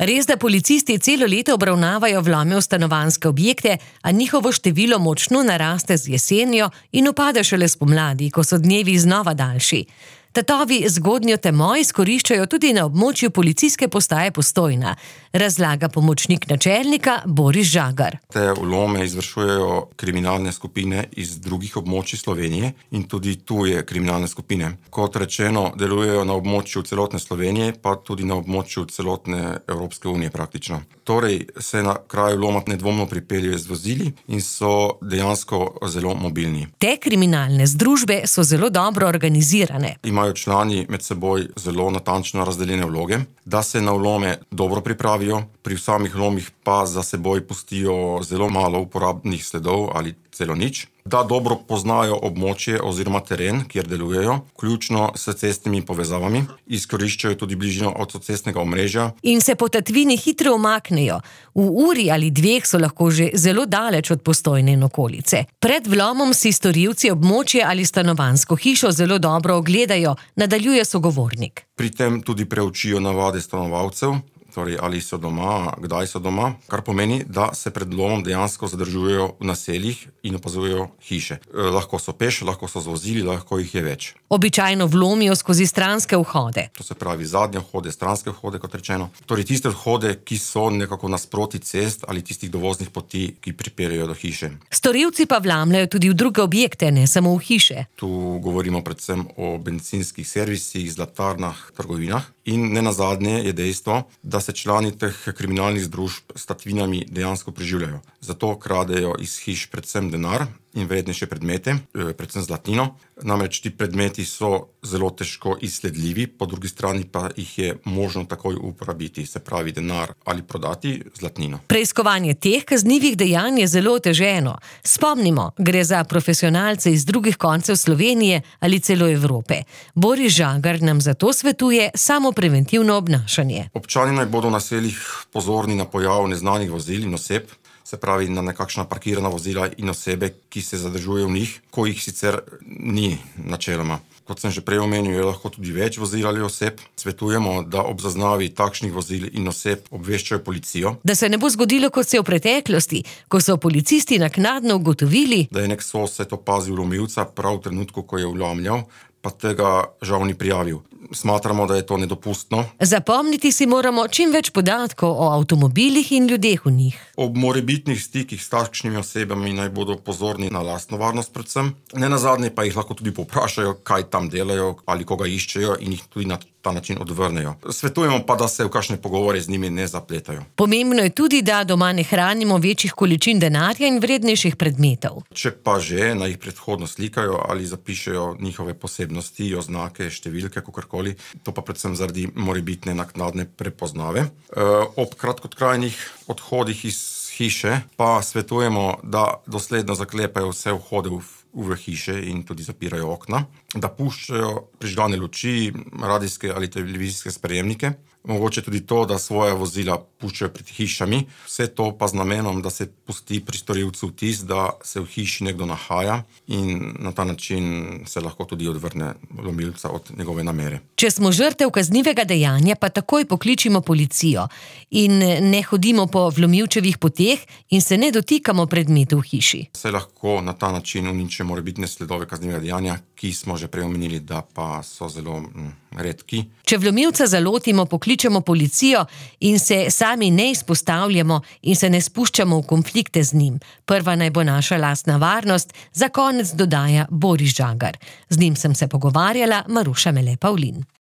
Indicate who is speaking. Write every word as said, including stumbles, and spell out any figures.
Speaker 1: Res, da policisti celo leto obravnavajo vlome v stanovanjske objekte, a njihovo število močno naraste z jesenjo in upade šele spomladi, ko so dnevi znova daljši. Tatovi zgodnjo temo izkoriščajo tudi na območju policijske postaje Postojna, razlaga pomočnik načelnika Boris Žagar.
Speaker 2: Te vlome izvršujejo kriminalne skupine iz drugih območij Slovenije in tudi tuje kriminalne skupine. Kot rečeno, delujejo na območju celotne Slovenije, pa tudi na območju celotne Evropske unije praktično. Torej se na kraju vloma nedvomno pripeljejo z vozili in so dejansko zelo mobilni.
Speaker 1: Te kriminalne združbe so zelo dobro organizirane.
Speaker 2: Imajo člani med seboj zelo natančno razdeljene vloge, da se na vlome dobro pripravijo, pri samih vlomih pa za seboj pustijo zelo malo uporabnih sledov ali celo nič, da dobro poznajo območje oziroma teren, kjer delujejo, vključno s cestnimi povezavami, izkoriščajo tudi bližino avtocestnega omrežja.
Speaker 1: In se po tatvini hitro umaknejo. V uri ali dveh so lahko že zelo daleč od Postojne in okolice. Pred vlomom si storilci območje ali stanovanjsko hišo zelo dobro ogledajo, nadaljuje sogovornik.
Speaker 2: Pri tem tudi preučijo navade stanovalcev, torej ali so doma, kdaj so doma, kar pomeni, da se pred vlomom dejansko zadržujejo v naseljih in opazujejo hiše. E, lahko so peš, lahko so z vozili, lahko jih je več.
Speaker 1: Običajno vlomijo skozi stranske vhode.
Speaker 2: To se pravi zadnje vhode, stranske vhode, kot rečeno. Torej tiste vhode, ki so nekako nasproti cest ali tistih dovoznih poti, ki pripeljejo do hiše.
Speaker 1: Storilci pa vlamljajo tudi v druge objekte, ne samo v hiše.
Speaker 2: Tu govorimo predvsem o bencinskih servisih, zlatarnah, trgovinah. In nenazadnje je dejstvo, da se člani teh kriminalnih združb s tatvinami dejansko preživljajo. Zato kradejo iz hiš predvsem denar in vrednejše predmete, predvsem zlatnino. Namreč ti predmeti so zelo težko izsledljivi, po drugi strani pa jih je možno takoj uporabiti, se pravi denar ali prodati zlatnino.
Speaker 1: Preiskovanje teh kaznivih dejanj je zelo oteženo. Spomnimo, gre za profesionalce iz drugih koncev Slovenije ali celo Evrope. Boris Žagar nam zato svetuje samo preventivno obnašanje.
Speaker 2: Občani naj bodo v naseljih pozorni na pojav neznanih vozil in oseb, se pravi na nekakšna parkirana vozila in osebe, ki se zadržujejo v njih, ko jih sicer ni načeloma. Kot sem že prej omenil, je lahko tudi več vozil ali oseb. Svetujemo, da ob zaznavi takšnih vozil in oseb obveščajo policijo.
Speaker 1: Da se ne bo zgodilo, kot se v preteklosti, ko so policisti naknadno ugotovili,
Speaker 2: da je nek sosed opazil vlomilca prav v trenutku, ko je vlamljal, pa tega žal ni prijavil. Smatramo, da je to nedopustno.
Speaker 1: Zapomniti si moramo čim več podatkov o avtomobilih in ljudeh v njih.
Speaker 2: Ob morebitnih stikih s takšnimi osebami naj bodo pozorni na lastno varnost predvsem. Nenazadnje pa jih lahko tudi povprašajo, kaj tam delajo ali koga iščejo in jih tudi na ta način odvrnejo. Svetujemo pa, da se v kakšne pogovore z njimi ne zapletajo.
Speaker 1: Pomembno je tudi, da doma ne hranimo večjih količin denarja in vrednejših predmetov.
Speaker 2: Če pa že, naj jih predhodno slikajo ali zapišejo njihove posebnosti, oznake, številke, kakorkoli. To pa predvsem zaradi morebitne naknadne prepoznave. E, ob kratkotrajnih odhodih iz hiše pa svetujemo, da dosledno zaklepajo vse vhode v v hiše in tudi zapirajo okna, da puščajo prižgane luči, radijske ali televizijske sprejemnike, mogoče tudi to, da svoja vozila puščajo pred hišami, vse to pa z namenom, da se pusti pri storilcu vtis, da se v hiši nekdo nahaja in na ta način se lahko tudi odvrne vlomilca od njegove namere.
Speaker 1: Če smo žrtev kaznivega dejanja, pa takoj pokličimo policijo in ne hodimo po vlomilčevih poteh in se ne dotikamo predmetov v hiši.
Speaker 2: Se lahko na ta način uniči morebitne sledove kaznivega dejanja, ki smo že prej omenili, da pa so zelo mm, redki.
Speaker 1: Če vlomilca zalotimo, pokličemo policijo in se sami ne izpostavljamo in se ne spuščamo v konflikte z njim. Prva naj bo naša lastna varnost, za konec dodaja Boris Žagar. Z njim sem se pogovarjala Maruša Mele Pavlin.